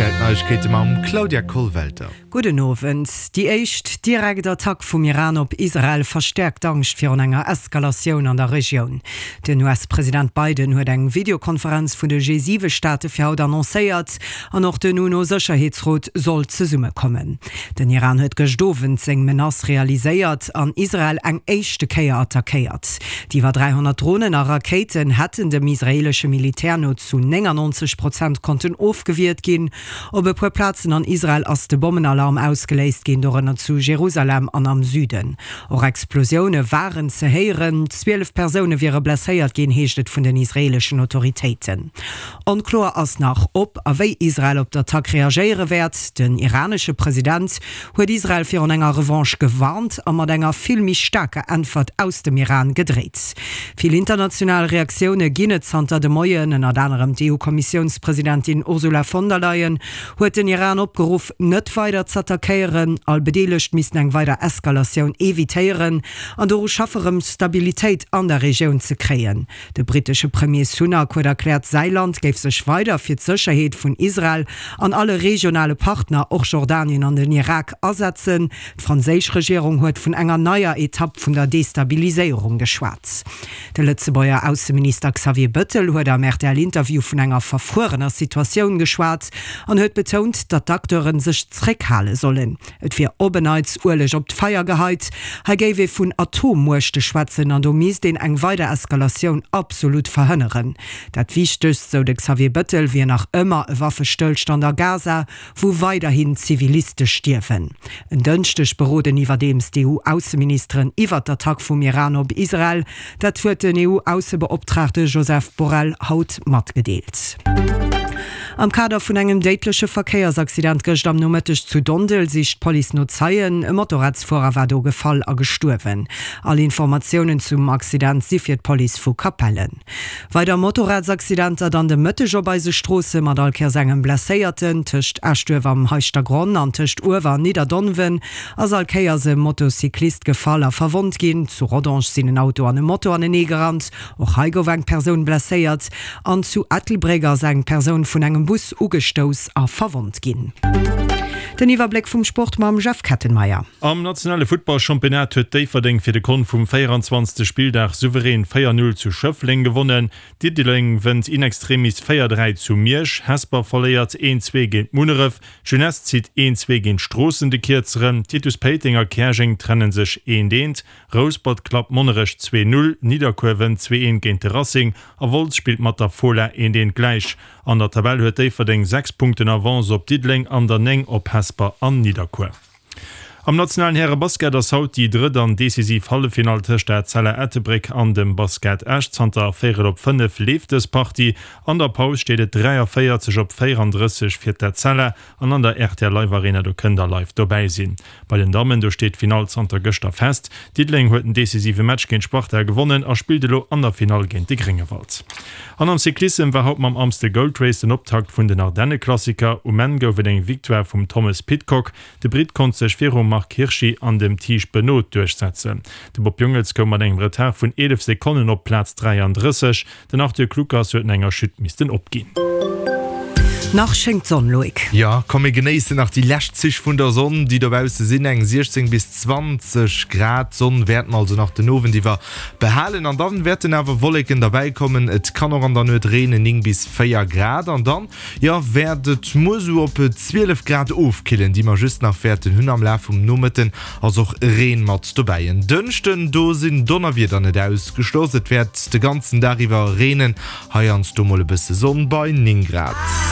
Rtl Neiegkeete mam Claudia Kollwelter. Gudden Owend. Déi éischt direkt Attack vum Iran op Israel verstäerkt d'Angscht virun enger Eskalatioun an der Regioun. Den US-President Biden huet eng Videokonferenz vun de G7-Staate fir haut annoncéiert an och den UNO-Sécherheetsrot soll zesummekommen. Den Iran huet gëscht Owend seng Menace realiséiert an Israel eng éischte Kéier attackéiert. Déi iwwer 300 Dronen a Rakéiten hätten dem israeelesche Militär no zu 99 Prozent konnten ofgewiert ginn. Op e puer Plazen an Israel ass de Bommenalarm ausgeléist ginn, dorënner zu Jerusalem an am Süden. Och Explosioune waren ze héieren. 12 Persoune wiere blesséiert ginn, heescht et vun den israeeleschen Autoritéiten. Onkloer ass nach, ob a wéi Israel op d'Attack reagéiere wäert. Den iranesche President huet Israel virun enger Revanche gewarnt a mat enger vill méi staarker Äntwert aus dem Iran gedréit. Vill international Reaktioune ginn et zanter de Moien. Ënnert anerem d'EU-Kommissiounspresidentin Ursula von der Leyen huet den Iran opgeruff, net weider z'attackéieren. All Bedeelegt missten eng weider Eskalatioun evitéieren an doru schaffe rëm Stabilitéit an der Regioun ze kréien. De brittesche Premier Sunak huet erkläert, säi Land géif sech weider fir d'Sécherheet vun Israel an alle regionale Partner, och Jordanien an den Irak, asetzen. D'franséisch Regierung huet vun enger neier Etapp vun der Destabiliséierung geschwat. De Lëtzebuerger Ausseminister Xavier Bëttel huet am RTL-Interview vun enger verfruerener Situatioun geschwat an huet betount, datt d'Acteure sech zréckhale sollen. Et wier op en Neits Ueleg op d'Feier geheit. Hei géif ee vun Atommuechte schwätzen an do misst een eng weider Eskalatioun absolut verhënneren. Dat Wichtegst, sou de Xavier Bëttel, wier nach ëmmer e Waffestëllstand a Gaza, wou weiderhin Ziviliste stierwen. En Dënschdeg beroden iwwerdeems d'EU-Ausseministeren iwwer d'Attack vum Iran op Israel. Dat huet den EU-Aussebeoptraagte Joseph Borrell haut matgedeelt. Am Kader vun engem déidleche Verkéiersaccident gëscht am Nomëtteg zu Dondel sicht d'Police no Zeien. E Motorradsfuerer war do gefall a gestuerwen. All Informatiounen zum Accident si fir d'Police vu Capellen. Weider Motorradsaccidenter dann de Mëtteg op eise Stroosse mat all Kéiers engem Blesséierten. Tëscht Eschduerf am Heischtergronn an tëscht Uewer an Nidderdonwen ass all Kéiers e Motocyclist gefall a verwonnt ginn. Zu Rodange sinn en Auto an e Moto anenee gerannt, och hei gouf eng Persoun blesséiert. An zu Ettelbréck ass eng Persoun vun engem Bus ugestouss a verwonnt ginn. Den Iwwerbléck vum Sport mam Jeff Kettenmeyer. Am nationale Futtballchampionnat huet Déifferdeng fir de Kont vum 24. Spilldag souverän 4, 0 zu Schëffleng gewonnen. Diddeleng wënnt in extremis 4, 3 zu Miersch, Hesper verléiert 1, 2 géint Munneref, D'Jeunesse zitt een 2 géint Stroossen de Kierzeren, Titus Péiteng a Käerjeng trennen sech eent eent, Rouspert klappt Monnerech 2, 0, Nidderkuer wënnt 2, 1 géint de Racing a Wolz spillt mat der Fola eent eent gläich. An der Tabell huet Déifferdeng 6 Punkten Avance op Diddeleng an der 9 op Hesper an Nidderkuer. Am nationalen Häre-Basket ass haut déi drëtt an decisiv Halleffinall tëscht der Etzella Ettelbréck an dem Basket Esch. Zanter véierel op 5 leeft dës Partie. An der Paus steet et 43 op 34 fir d'Etzella an an der rtl Live Arena, do kënnt der live dobäi sinn. Bei den Dammen, do steet d'Finall zanter gëschter fest. Diddeleng huet den decisive Match géint Sparta gewonnen a spillt elo an der Finall géint de Gréngewald. An am Cyclissem war haut mam Amstel Gold Race den Optakt vun den Ardennenklassiker. Um Enn gouf et eng Victoire vum Thomas Pidcock. De Britt konnt sech virum Marc Hirschi an dem Tiesj Benoot duerchsetzen. De Bob Jungels koum mat engem Retard vun 11 Sekonnen op d'Plaz 33. Den Arthur Kluckers huet no enger Chute missten opginn. Nach schéngt d'Sonn, Loïc. Jo, komm mir genéissen nach déi lescht Zich vun der Sonn, déi dobausse sinn. Eng 16 bis 20 Grad, d'Sonn wäert mer also nach den Owend iwwer behalen an dann wäerten awer Wolleken derbäi kommen. Et kann och an der Nuet reenen, 9 bis 4 Grad an dann, jo, wäert et muer sou op 12 Grad ofkillen, déi mer just nach wäerten hunn. Am Laf vum Nomëtten ass och Reen mat dobäi. En Dënschden, do sinn Donnerwieder net ausgeschloss, et wäert de ganzen Dag iwwer reenen, heiansdo mol e bësse Sonn bei 9 Grad.